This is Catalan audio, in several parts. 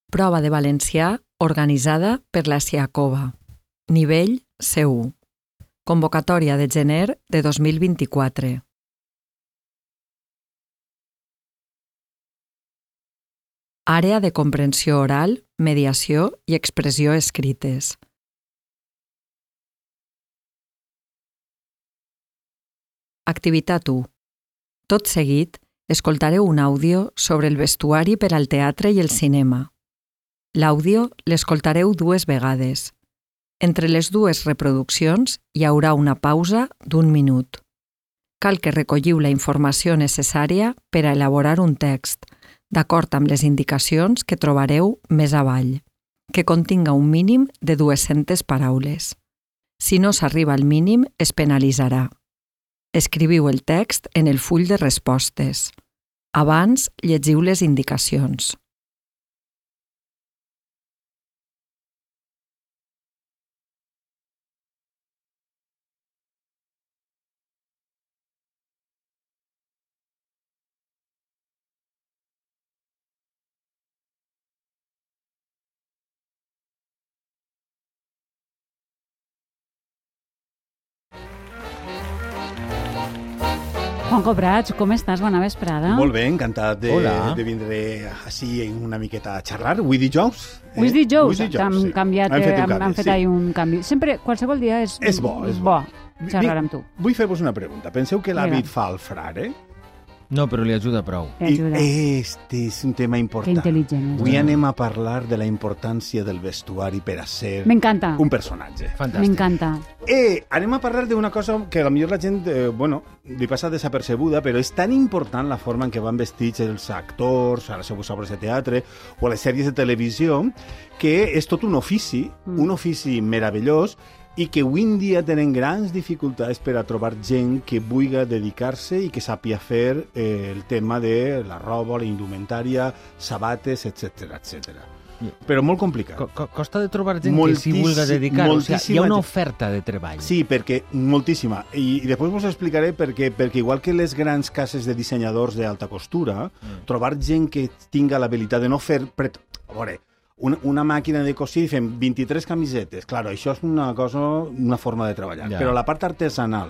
Prova de valencià organitzada per la Siacova. Nivell C1. Convocatòria de gener de 2024. Àrea de comprensió oral, mediació i expressió escrites. Activitat 1. Tot seguit, escoltareu un àudio sobre el vestuari per al teatre i el cinema. L'àudio l'escoltareu 2 vegades. Entre les 2 reproduccions hi haurà una pausa d'1 minut. Cal que recolliu la informació necessària per a elaborar un text, d'acord amb les indicacions que trobareu més avall, que continga un mínim de 200 paraules. Si no s'arriba al mínim, es penalitzarà. Escriviu el text en el full de respostes. Abans, llegiu les indicacions. Juanjo Prats, com estàs? Bona vesprada. Molt bé, encantat de vindre així una miqueta a xerrar. Avui dijous. Avui és dijous, sí. Han canviat, han fet ahir un canvi. Sempre, qualsevol dia és bo xerrar amb tu. Vull fer-vos una pregunta. Penseu que l'hàbit fa el frare? No, però li ajuda prou. Este és un tema important. Que intel·ligent. Avui anem a parlar de la importància del vestuari per a ser un personatge. Fantàstic. M'encanta. Anem a parlar d'una cosa que potser la gent, li passa desapercebuda, però és tan important la forma en què van vestits els actors a les seves obres de teatre o a les sèries de televisió, que és tot un ofici meravellós, i que avui en dia tenen grans dificultats per a trobar gent que vulgui dedicar-se i que sàpia fer el tema de la roba, la indumentària, sabates, etc. Però molt complicat. Costa de trobar gent que s'hi vulgui dedicar. O sigui, hi ha una oferta de treball. Sí, perquè moltíssima. I després us explicaré perquè igual que les grans cases de dissenyadors d'alta costura, trobar gent que tinga l'habilitat de no fer... A veure, una màquina de cosir i fem 23 camisetes. Clar, això és una forma de treballar. Però la part artesanal,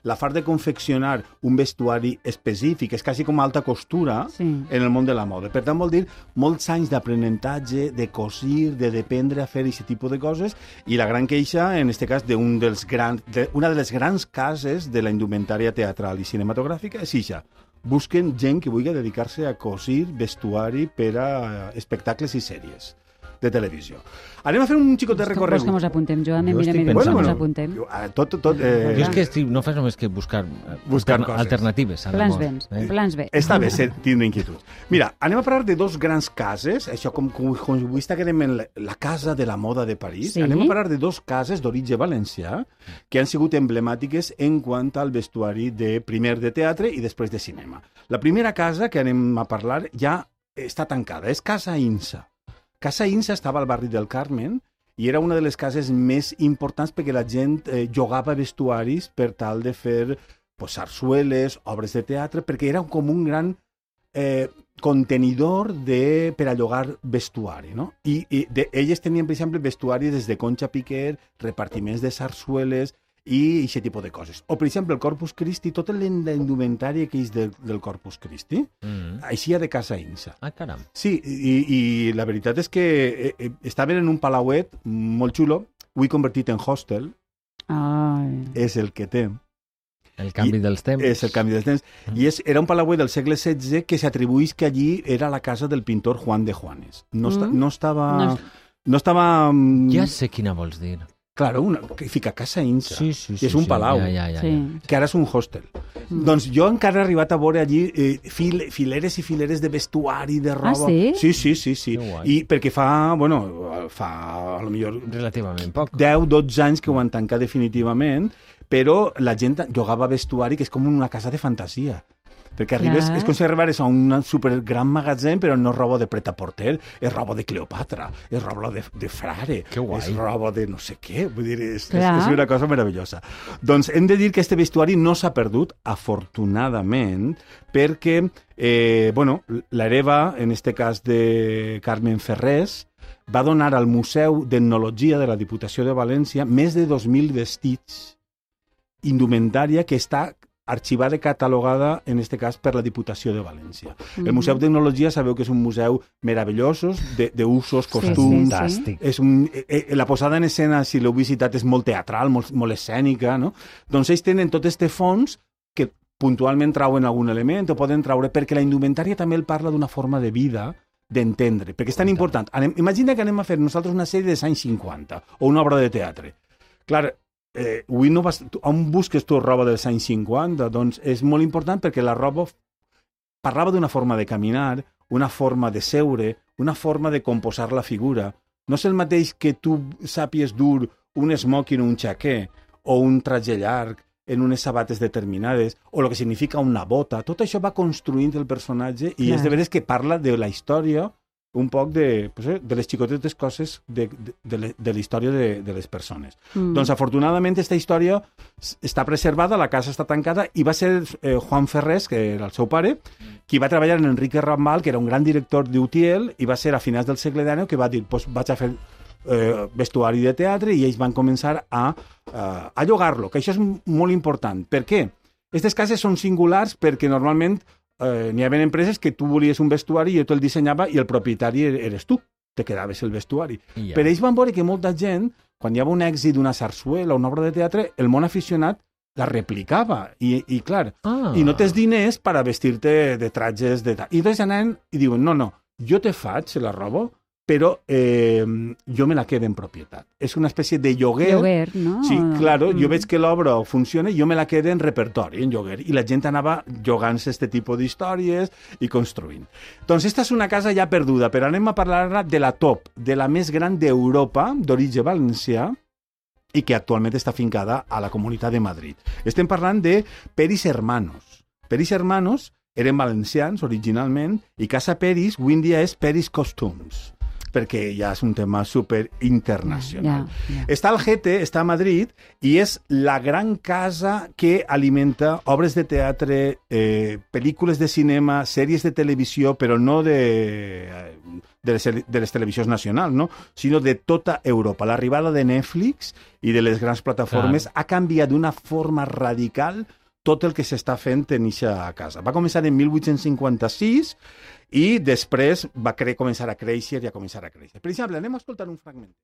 la part de confeccionar un vestuari específic, és quasi com alta costura en el món de la moda. Per tant, vol dir molts anys d'aprenentatge, de cosir, de dependre a fer aquest tipus de coses, i la gran queixa, en aquest cas, una de les grans cases de la indumentària teatral i cinematogràfica és això. Busquen gent que vulgui dedicar-se a cosir vestuari per a espectacles i sèries de televisió. Anem a fer un xicot de recorregut. Vols que mos apuntem, Joan? Mos apuntem. Jo és que no fas només que buscar alternatives. Plans B. Està bé tindre inquietud. Mira, anem a parlar de 2 grans cases, això com avui està quedem en la casa de la moda de París. Anem a parlar de 2 cases d'origen valencià que han sigut emblemàtiques en quant al vestuari de primer de teatre i després de cinema. La primera casa que anem a parlar ja està tancada, és Casa Insa. Casa Insa estava al barri del Carmen i era una de les cases més importants perquè la gent llogava vestuaris per tal de fer sarsueles, obres de teatre, perquè era com un gran contenidor per a llogar vestuari, no? I elles tenien, per exemple, vestuari des de Concha Piquer, repartiments de sarsueles i aquest tipus de coses. O, per exemple, el Corpus Christi, tota la indumentària que és del Corpus Christi, així de Casa Insa. Ah, caram. Sí, i la veritat és que estaven en un palauet molt xulo, ho he convertit en hostel, és el que té. El canvi dels temps. És el canvi dels temps. I era un palauet del segle XVI que s'atribueix que allí era la casa del pintor Juan de Juanes. No estava... Ja sé quina vols dir. Claro, que fica Casa Insa, sí, és un palau, que ara és un hostel. Doncs jo encara he arribat a veure allí fileres i fileres de vestuari, de roba... Ah, sí? Sí. I perquè fa a lo millor... Relativament poc. 10-12 anys que ho han tancat definitivament, però la gent llogava vestuari que és com una casa de fantasia. perquè arribes, és com si arribares a un supergran magatzem, però no és roba de pret-a-porter, és roba de Cleopatra, és roba de Frare, és roba de no sé què, vull dir, és una cosa meravellosa. Doncs hem de dir que este vestuari no s'ha perdut, afortunadament, perquè, l'hereva, en este cas de Carmen Ferrés, va donar al Museu d'Etnologia de la Diputació de València més de 2.000 vestits, indumentària que està arxivada i catalogada, en este cas, per la Diputació de València. El Museu d'Etnologia sabeu que és un museu meravellós, d'usos, costums... La posada en escena, si l'heu visitat, és molt teatral, molt escènica, no? Doncs ells tenen tot este fons que puntualment trauen algun element o poden traure, perquè la indumentària també el parla d'una forma de vida, d'entendre, perquè és tan important. Imagina que anem a fer nosaltres una sèrie dels anys 50 o una obra de teatre. Clar, on busques tu roba dels anys 50? Doncs és molt important perquè la roba parlava d'una forma de caminar, una forma de seure, una forma de composar la figura. No és el mateix que tu sàpies dur un smoking o un xaquer o un traje llarg en unes sabates determinades, o el que significa una bota. Tot això va construint el personatge i és de veres que parla de la història, un poc de les xicotetes coses de la història de les persones. Doncs, afortunadament, aquesta història està preservada, la casa està tancada, i va ser Juan Ferrés, que era el seu pare, qui va treballar en Enrique Rambal, que era un gran director d'Utiel, i va ser a finals del segle XIX que va dir, vaig a fer vestuari de teatre, i ells van començar a llogar-lo, que això és molt important. Per què? Aquestes cases són singulars perquè normalment n'hi havia empreses que tu volies un vestuari i jo te'l dissenyava i el propietari eres tu, te quedaves el vestuari. Però ells van veure que molta gent, quan hi havia un èxit d'una sarsuela o una obra de teatre, el món aficionat la replicava i clar, i no tens diners per a vestir-te de tratges i doncs anaven i diuen, no, jo te faig la roba, però jo me la quedo en propietat. És una espècie de lloguer. Lloguer, no? Sí, claro, jo veig que l'obra funciona i jo me la quedo en repertori, en lloguer. I la gent anava llogant-se este tipus d'històries i construint. Doncs esta és una casa ja perduda, però anem a parlar ara de la top, de la més gran d'Europa, d'origen valencià, i que actualment està fincada a la Comunitat de Madrid. Estem parlant de Peris Hermanos. Peris Hermanos eren valencians originalment i Casa Peris avui en dia és Peris Costumes, perquè ja és un tema super internacional. Està al Gete, està a Madrid, i és la gran casa que alimenta obres de teatre, pel·lícules de cinema, sèries de televisió, però no de les televisions nacionals, no? Sinó de tota Europa. L'arribada de Netflix i de les grans plataformes ha canviat d'una forma radical tot el que s'està fent en eixa casa. Va començar en 1856 i després va començar a créixer i a començar a créixer. Per exemple, anem a escoltar un fragment.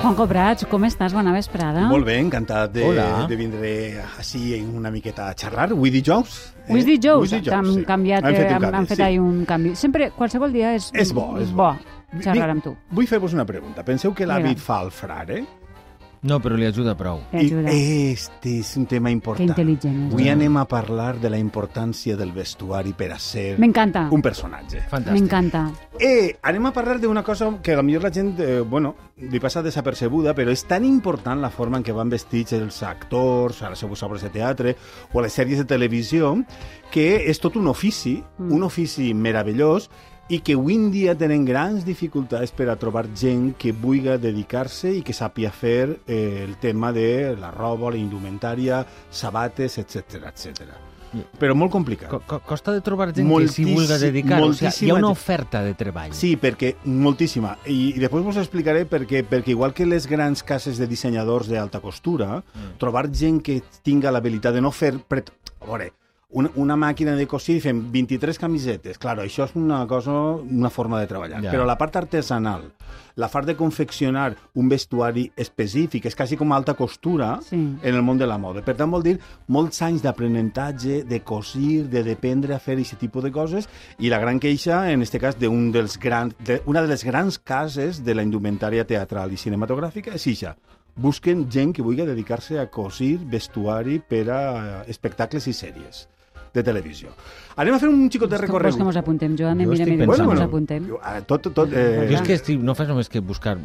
Juanjo Prats, com estàs? Bona vesprada. Molt bé, encantat de vindre així una miqueta a xerrar. Avui dijous. Avui és dijous, han canviat, han fet ahir un canvi. Sempre, qualsevol dia és bo xerrar amb tu. Vull fer-vos una pregunta. Penseu que l'hàbit fa el frare? No, però li ajuda prou. Este és un tema important. Que intel·ligent és. Avui anem a parlar de la importància del vestuari per a ser un personatge. Fantàstic. M'encanta. Anem a parlar d'una cosa que potser la gent, li passa desapercebuda, però és tan important la forma en què van vestits els actors a les seves obres de teatre o a les sèries de televisió, que és tot un ofici meravellós, i que avui en dia tenen grans dificultats per a trobar gent que vulgui dedicar-se i que sàpia fer el tema de la roba, la indumentària, sabates, etc etc. Però molt complicat. Costa de trobar gent que s'hi vulgui dedicar. O sigui, hi ha una oferta de treball. Sí, perquè moltíssima. I després us explicaré perquè igual que les grans cases de dissenyadors d'alta costura, trobar gent que tinga l'habilitat de no fer... A veure, una màquina de cosir i fem 23 camisetes. Clar, això és una forma de treballar. Però la part artesanal, la part de confeccionar un vestuari específic, és quasi com alta costura en el món de la moda. Per tant, vol dir molts anys d'aprenentatge, de cosir, de dependre a fer aquest tipus de coses, i la gran queixa, en aquest cas, una de les grans cases de la indumentària teatral i cinematogràfica és això. Busquen gent que vulgui dedicar-se a cosir vestuari per a espectacles i sèries de televisió. Anem a fer un xicot de recorregut. Vols que mos apuntem, Joan? Mira, mos apuntem. Jo és que no fas només que buscar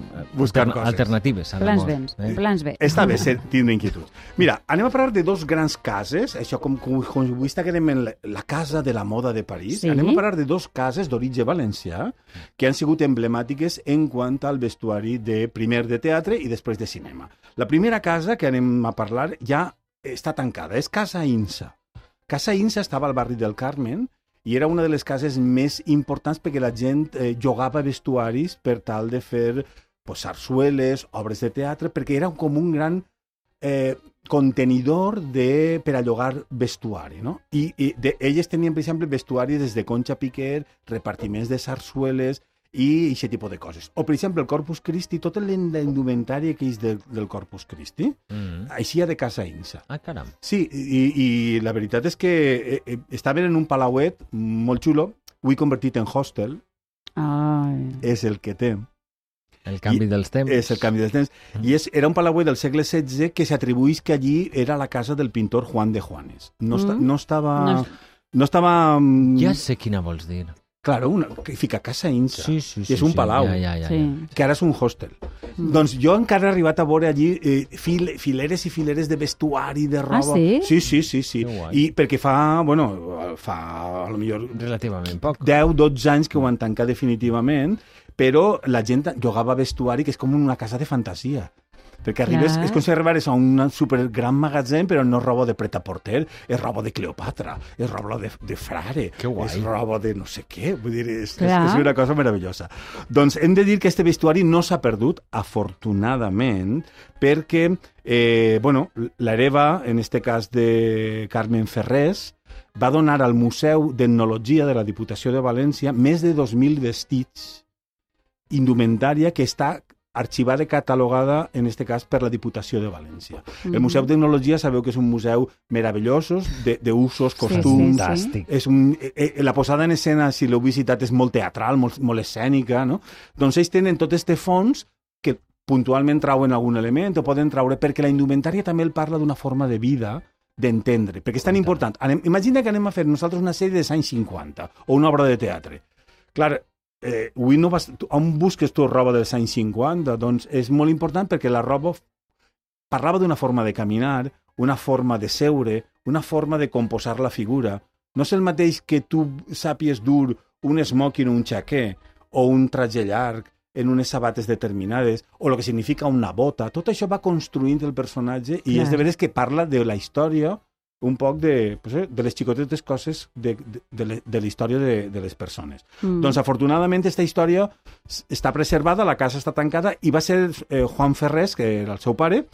alternatives. Plans B. Està bé tindre inquietuds. Mira, anem a parlar de dos grans cases, això com avui està quedem en la casa de la moda de París, anem a parlar de dos cases d'origen valencià que han sigut emblemàtiques en quant al vestuari de primer de teatre i després de cinema. La primera casa que anem a parlar ja està tancada, és Casa Insa. Casa Insa estava al barri del Carmen i era una de les cases més importants perquè la gent llogava vestuaris per tal de fer sarsueles, obres de teatre, perquè era com un gran contenidor per a llogar vestuari, no? I elles tenien, per exemple, vestuari des de Concha Piquer, repartiments de sarsueles i aquest tipus de coses. O, per exemple, el Corpus Christi, tota la indumentària que és del Corpus Christi, així de Casa Insa. Ah, caram. Sí, i la veritat és que estaven en un palauet molt xulo, ho he convertit en hostel, és el que té. El canvi dels temps. És el canvi dels temps. I era un palauet del segle XVI que s'atribuís que allí era la casa del pintor Juan de Juanes. No estava... Ja sé quina vols dir. Claro, que fica Casa Insa, sí, és un palau, que ara és un hostel. Doncs jo encara he arribat a veure allí fileres i fileres de vestuari, de roba... Ah, sí? Sí. I perquè fa a lo millor... Relativament poc. 10-12 anys que ho van tancar definitivament, però la gent llogava vestuari que és com una casa de fantasia. Perquè arribes, és com si arribares a un supergran magatzem, però no és roba de pret-a-porter, és roba de Cleopatra, és roba de Frare, és roba de no sé què, vull dir, és una cosa meravellosa. Doncs hem de dir que este vestuari no s'ha perdut, afortunadament, perquè, l'hereva, en este cas de Carmen Ferrés, va donar al Museu d'Etnologia de la Diputació de València més de 2.000 vestits indumentària que està arxivada i catalogada, en aquest cas, per la Diputació de València. El Museu d'Etnologia sabeu que és un museu meravellosos, d'usos, costums... Fantàstic. La posada en escena, si l'heu visitat, és molt teatral, molt escènica, no? Doncs ells tenen tot este fons que puntualment trauen algun element o poden traure, perquè la indumentària també el parla d'una forma de vida, d'entendre, perquè és tan important. Imagina que anem a fer nosaltres una sèrie dels anys 50 o una obra de teatre. Clar, on busques tu roba dels anys 50? Doncs és molt important perquè la roba parlava d'una forma de caminar, una forma de seure, una forma de composar la figura. No és el mateix que tu sàpies dur un smoking o un xaquer o un traje llarg en unes sabates determinades o el que significa una bota. Tot això va construint el personatge i és de veres que parla de la història un poc de les xicotetes coses de la història de les persones. Doncs, afortunadament, aquesta història està preservada, la casa està tancada, i va ser Juan Ferrés, que era el seu pare,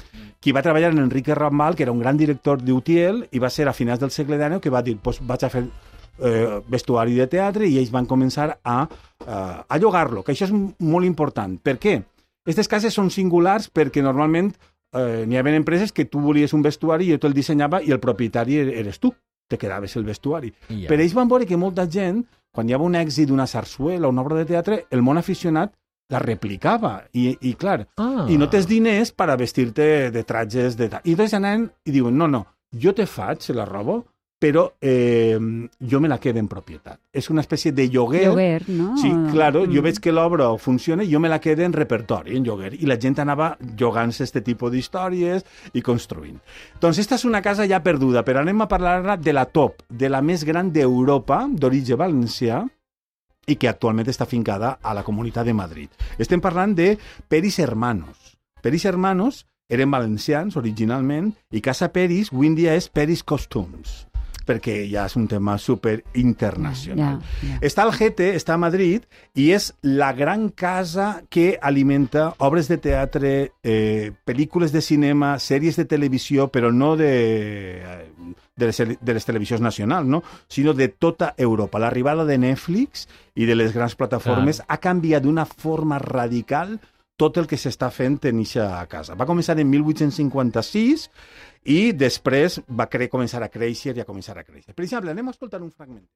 qui va treballar en Enrique Rambal, que era un gran director d'Utiel, i va ser a finals del segle XIX que va dir, vaig a fer vestuari de teatre, i ells van començar a llogar-lo, que això és molt important. Per què? Aquestes cases són singulars perquè normalment n'hi havia empreses que tu volies un vestuari i jo te'l dissenyava i el propietari eres tu, te quedaves el vestuari. Però ells van veure que molta gent, quan hi havia un èxit d'una sarsuela o una obra de teatre, el món aficionat la replicava. I clar, i no tens diners per a vestir-te de trajes de tal. I doncs anaven i diuen, no, jo te faig la roba, però jo me la quedo en propietat. És una espècie de lloguer. Lloguer, no? Sí, claro, jo veig que l'obra funciona i jo me la quedo en repertori, en lloguer. I la gent anava llogant-se este tipus d'històries i construint. Doncs esta és una casa ja perduda, però anem a parlar ara de la top, de la més gran d'Europa, d'origen valencià, i que actualment està fincada a la Comunitat de Madrid. Estem parlant de Peris Hermanos. Peris Hermanos eren valencians originalment i Casa Peris avui en dia és Peris Costumes, perquè ja és un tema super internacional. Està al Gete, està a Madrid, i és la gran casa que alimenta obres de teatre, pel·lícules de cinema, sèries de televisió, però no de les televisions nacionals, no? Sinó de tota Europa. L'arribada de Netflix i de les grans plataformes ha canviat d'una forma radical tot el que s'està fent en eixa casa. Va començar en 1856 i després va començar a créixer i a començar a créixer. Per exemple, anem a escoltar un fragment.